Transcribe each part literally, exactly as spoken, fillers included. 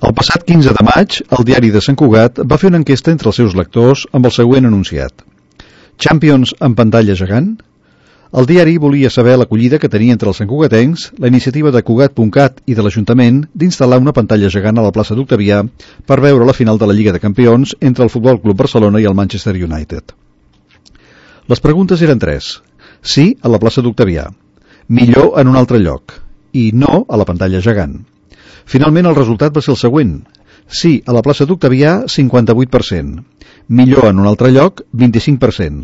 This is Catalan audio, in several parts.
El passat quinze de maig, el diari de Sant Cugat va fer una enquesta entre els seus lectors amb el següent enunciat. Champions en pantalla gegant? El diari volia saber l'acollida que tenia entre els santcugatencs la iniciativa de Cugat punt cat i de l'Ajuntament d'instal·lar una pantalla gegant a la plaça d'Octavià per veure la final de la Lliga de Campions entre el Futbol Club Barcelona i el Manchester United. Les preguntes eren tres. Sí a la plaça d'Octavià, millor en un altre lloc i no a la pantalla gegant. Finalment el resultat va ser el següent. Sí a la plaça d'Octavià, cinquanta-vuit per cent. Millor en un altre lloc, vint-i-cinc per cent.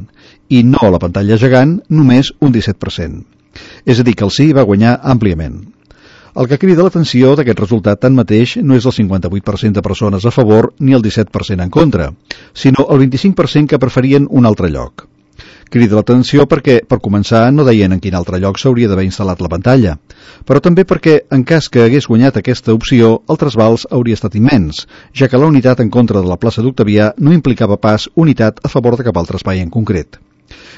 I no a la pantalla gegant, només un disset per cent. És a dir, que el sí va guanyar àmpliament. El que crida l'atenció d'aquest resultat tanmateix no és el cinquanta-vuit per cent de persones a favor ni el disset per cent en contra, sinó el vint-i-cinc per cent que preferien un altre lloc. Crida l'atenció perquè, per començar, no deien en quin altre lloc s'hauria d'haver instal·lat la pantalla, però també perquè, en cas que hagués guanyat aquesta opció, el trasbals hauria estat immens, ja que la unitat en contra de la plaça d'Octavià no implicava pas unitat a favor de cap altre espai en concret.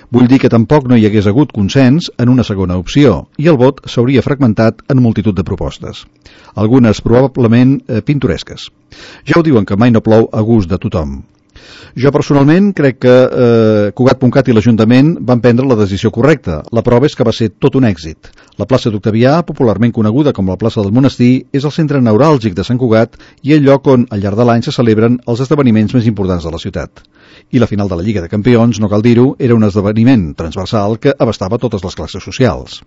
Vull dir que tampoc no hi hagués hagut consens en una segona opció, i el vot s'hauria fragmentat en multitud de propostes, algunes probablement eh, pintoresques. Ja ho diuen que mai no plou a gust de tothom. Jo personalment crec que eh, Cugat punt cat i l'Ajuntament van prendre la decisió correcta. La prova és que va ser tot un èxit. La plaça d'Octavià, popularment coneguda com la plaça del Monestir, és el centre neuràlgic de Sant Cugat i el lloc on al llarg de l'any se celebren els esdeveniments més importants de la ciutat. I la final de la Lliga de Campions, no cal dir-ho, era un esdeveniment transversal que abastava totes les classes socials.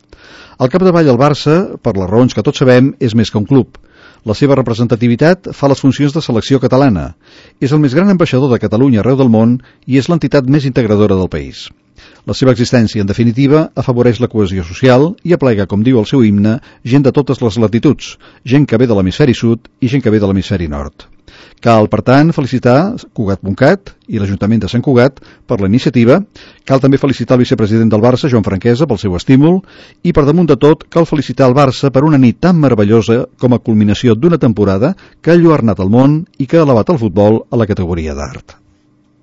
Al capdavall el Barça, per les raons que tots sabem, és més que un club. La seva representativitat fa les funcions de selecció catalana. És el més gran ambaixador de Catalunya arreu del món i és l'entitat més integradora del país. La seva existència, en definitiva, afavoreix la cohesió social i aplega, com diu el seu himne, gent de totes les latituds, gent que ve de l'hemisferi sud i gent que ve de l'hemisferi nord. Cal, per tant, felicitar Cugat punt cat i l'Ajuntament de Sant Cugat per la iniciativa. Cal també felicitar el vicepresident del Barça, Joan Franquesa, pel seu estímul. I, per damunt de tot, cal felicitar el Barça per una nit tan meravellosa com a culminació d'una temporada que ha enlluernat el món i que ha elevat el futbol a la categoria d'art.